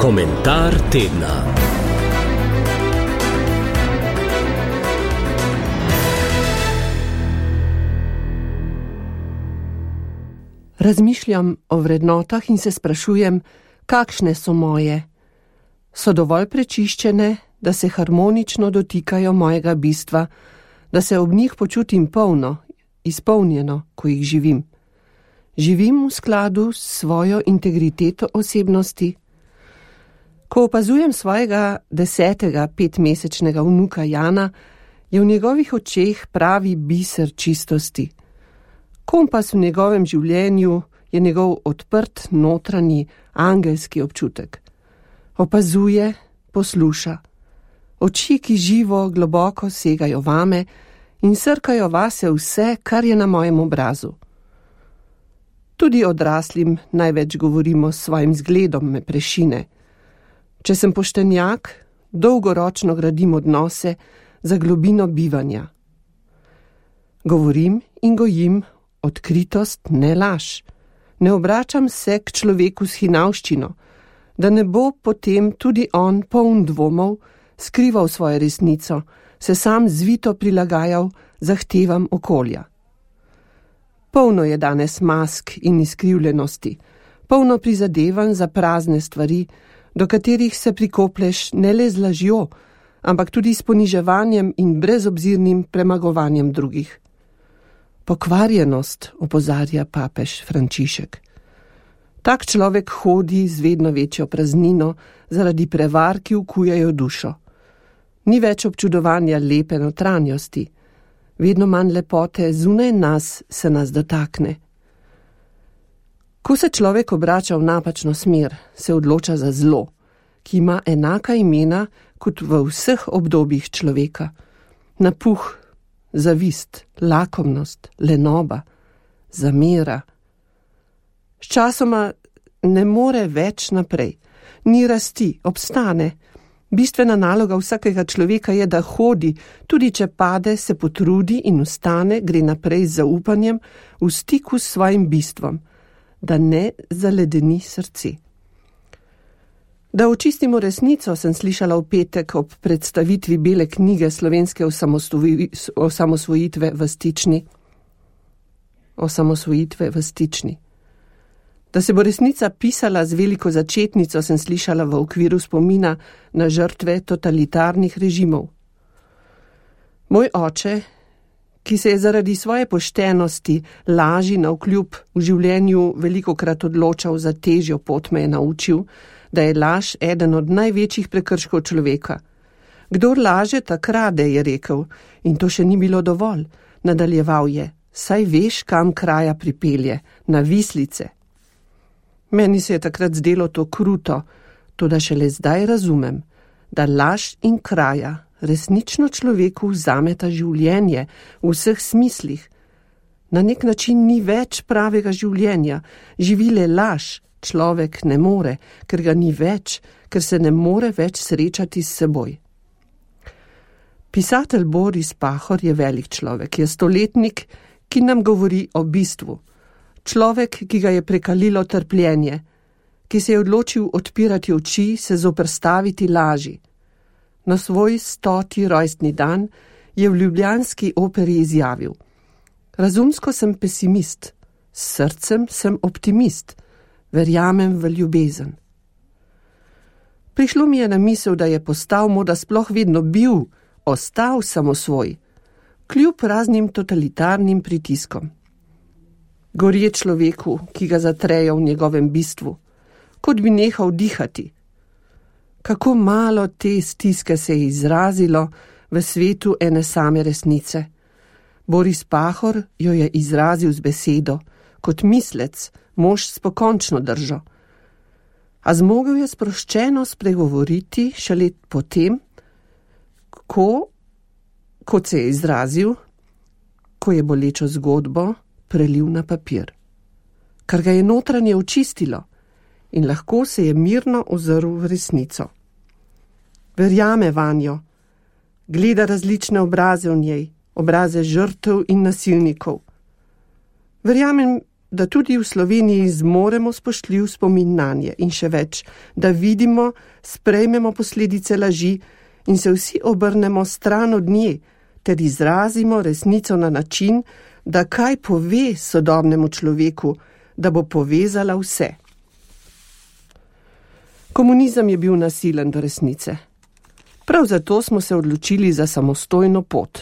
Komentar tedna. Razmišljam o vrednotah in se sprašujem, kakšne so moje. So dovolj prečiščene, da se harmonično dotikajo mojega bistva, da se ob njih počutim polno, izpolnjeno, ko jih živim. Živim v skladu s svojo integriteto osebnosti. Ko opazujem svojega 10. 5-mesečnega vnuka Jana, je v njegovih očeh pravi biser čistosti. Kompas v njegovem življenju je njegov odprt notranji angelski občutek. Opazuje, posluša. Oči, ki živo globoko segajo vame in srkajo vase vse, kar je na mojem obrazu. Tudi odraslim največ govorimo s svojim zgledom me prešine. Če sem poštenjak, dolgoročno gradim odnose za globino bivanja. Govorim in gojim odkritost, ne laž. Ne obračam se k človeku s hinavščino, da ne bo potem tudi on poln dvomov skrival svojo resnico, se sam zvito prilagajal zahtevam okolja. Polno je danes mask in izkrivljenosti, polno prizadevanj za prazne stvari, do katerih se prikopleš ne le z lažjo, ampak tudi s poniževanjem in brezobzirnim premagovanjem drugih. Pokvarjenost, opozarja papež Frančišek. Tak človek hodi z vedno večjo praznino zaradi prevar, ki ukujajo dušo. Ni več občudovanja lepe notranjosti, vedno manj lepote zunaj nas se nas dotakne. Ko se človek obrača v napačno smer, se odloča za zlo, ki ima enaka imena kot v vseh obdobjih človeka. Napuh, zavist, lakomnost, lenoba, zamera. Sčasoma ne more več naprej, ni rasti, obstane. Bistvena naloga vsakega človeka je, da hodi, tudi če pade, se potrudi in vstane, gre naprej z zaupanjem, v stiku s svojim bistvom, da ne zaledeni srce. Da očistimo resnico, sem slišala v petek ob predstavitvi bele knjige slovenske osamosvojitve v Stični. Da se bo resnica pisala z veliko začetnico, sem slišala v okviru spomina na žrtve totalitarnih režimov. Moj oče, ki se je zaradi svoje poštenosti, laži navkljub v življenju velikokrat odločal za težjo pot, me je naučil, da je laž eden od največjih prekrškov človeka. Kdor laže, tak krade, je rekel, in to še ni bilo dovolj. Nadaljeval je, saj veš, kam kraja pripelje, na vislice. Meni se je takrat zdelo to kruto, toda šele zdaj razumem, da laž in kraja resnično človeku vzameta življenje v vseh smislih. Na nek način ni več pravega življenja, živi le laž, človek ne more, ker ga ni več, ker se ne more več srečati s seboj. Pisatelj Boris Pahor je velik človek, je stoletnik, ki nam govori o bistvu. Človek, ki ga je prekalilo trpljenje, ki se je odločil odpirati oči, se zoperstaviti laži. Na svoj 100. rojstni dan je v ljubljanski operi izjavil: razumsko sem pesimist, s srcem sem optimist, verjamem v ljubezen. Prišlo mi je na misel, da je postal morda sploh vedno bil, ostal samosvoj, kljub raznim totalitarnim pritiskom. Gorje človeku, ki ga zatrejo v njegovem bistvu, kot bi nehal dihati. Kako malo te stiske se je izrazilo v svetu ene same resnice. Boris Pahor jo je izrazil z besedo, kot mislec, mož s pokončno držo. A zmogel je sproščeno spregovoriti šele potem, kot se je izrazil, ko je bolečo zgodbo prelil na papir, kar ga je notranje očistilo in lahko se je mirno ozrl v resnico. Verjame vanjo, gleda različne obraze v njej, obraze žrtev in nasilnikov. Verjamem, da tudi v Sloveniji zmoremo spoštljiv spomin nanje in še več, da vidimo, sprejmemo posledice laži in se vsi obrnemo stran od nje, ter izrazimo resnico na način, da kaj pove sodobnemu človeku, da bo povezala vse. Komunizem je bil nasilen do resnice. Prav zato smo se odločili za samostojno pot.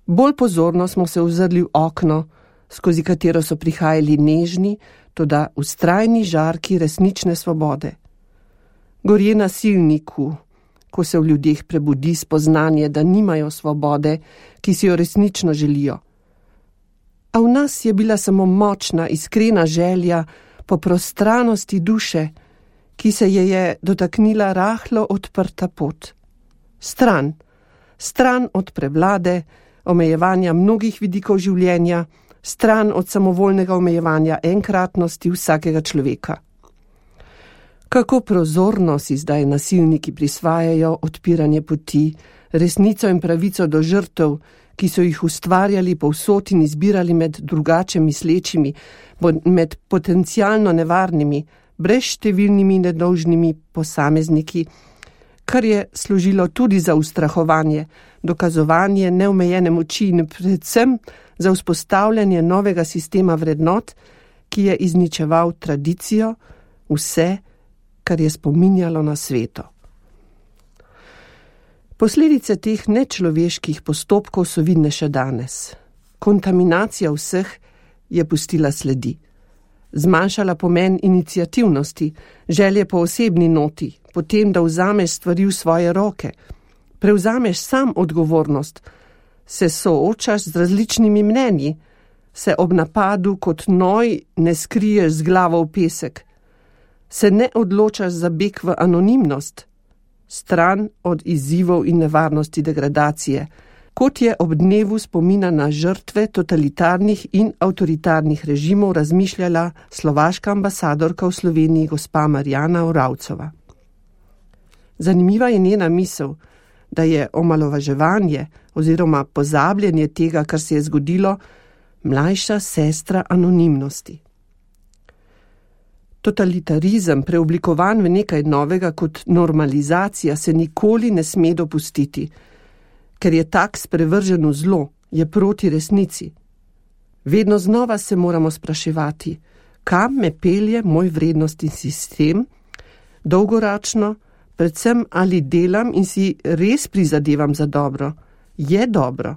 Bolj pozorno smo se ozrli v okno, skozi katero so prihajali nežni, toda vztrajni žarki resnične svobode. Gorje nasilniku, ko se v ljudeh prebudi spoznanje, da nimajo svobode, ki si jo resnično želijo. A v nas je bila samo močna, iskrena želja po prostranosti duše, ki se je dotaknila rahlo odprta pot. Stran od prevlade, omejevanja mnogih vidikov življenja, stran od samovoljnega omejevanja enkratnosti vsakega človeka. Kako prozorno si zdaj nasilniki prisvajajo odpiranje poti, resnico in pravico do žrtev, ki so jih ustvarjali povsod in izbirali med drugače mislečimi, med potencialno nevarnimi, brezštevilnimi nedolžnimi posamezniki, kar je služilo tudi za ustrahovanje, dokazovanje neomejene moči in predvsem za vzpostavljanje novega sistema vrednot, ki je izničeval tradicijo, vse, kar je spominjalo na sveto. Posledice teh nečloveških postopkov so vidne še danes. Kontaminacija vseh je pustila sledi. Zmanjšala pomen iniciativnosti, želje po osebni noti, potem, da vzameš stvari v svoje roke, prevzameš sam odgovornost, se soočaš z različnimi mnenji, se ob napadu kot noj ne skriješ z glavo v pesek, se ne odločaš za beg v anonimnost, stran od izzivov in nevarnosti degradacije, kot je ob dnevu spomina na žrtve totalitarnih in avtoritarnih režimov razmišljala slovaška ambasadorka v Sloveniji gospa Marjana Oravcova. Zanimiva je njena misel, da je omalovaževanje oziroma pozabljanje tega, kar se je zgodilo, mlajša sestra anonimnosti. Totalitarizem, preoblikovan v nekaj novega kot normalizacija, se nikoli ne sme dopustiti, ker je tak sprevržen v zlo, je proti resnici. Vedno znova se moramo spraševati, kam me pelje moj vrednostni sistem, dolgoročno, predvsem ali delam in si res prizadevam za dobro, je dobro.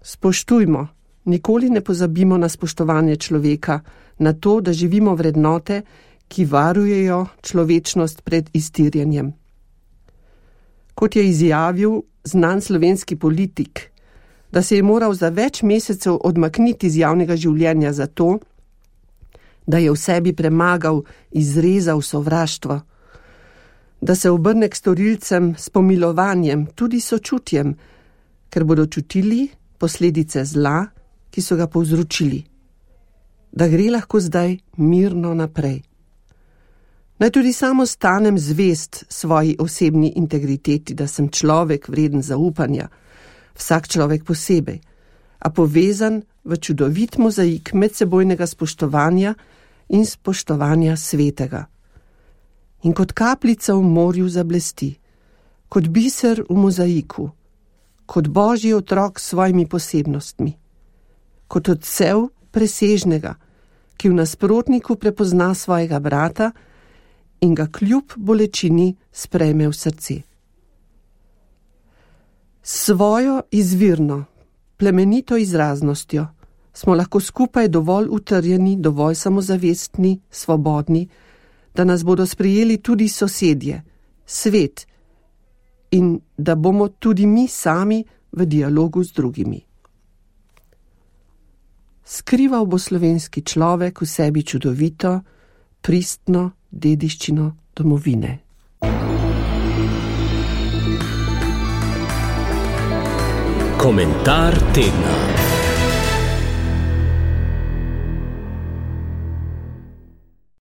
Spoštujmo, nikoli ne pozabimo na spoštovanje človeka, na to, da živimo vrednote, ki varujejo človečnost pred iztirjenjem. Kot je izjavil znan slovenski politik, da se je moral za več mesecev odmakniti z javnega življenja zato, da je v sebi premagal, izrezal sovraštvo, da se obrne k storilcem s pomilovanjem, tudi sočutjem, ker bodo čutili posledice zla, ki so ga povzročili, da gre lahko zdaj mirno naprej. Naj tudi samo stanem zvest svoji osebni integriteti, da sem človek vreden zaupanja, vsak človek posebej, a povezan v čudovit mozaik medsebojnega spoštovanja in spoštovanja svetega. In kot kapljica v morju zablesti, kot biser v mozaiku, kot božji otrok s svojimi posebnostmi, kot odsev presežnega, ki v nasprotniku prepozna svojega brata in ga kljub bolečini sprejme v srce. S svojo izvirno, plemenito izraznostjo smo lahko skupaj dovolj utrjeni, dovolj samozavestni, svobodni, da nas bodo sprejeli tudi sosedje, svet in da bomo tudi mi sami v dialogu z drugimi. Skrival bo slovenski človek v sebi čudovito, pristno dediščino domovine. Komentar tedna.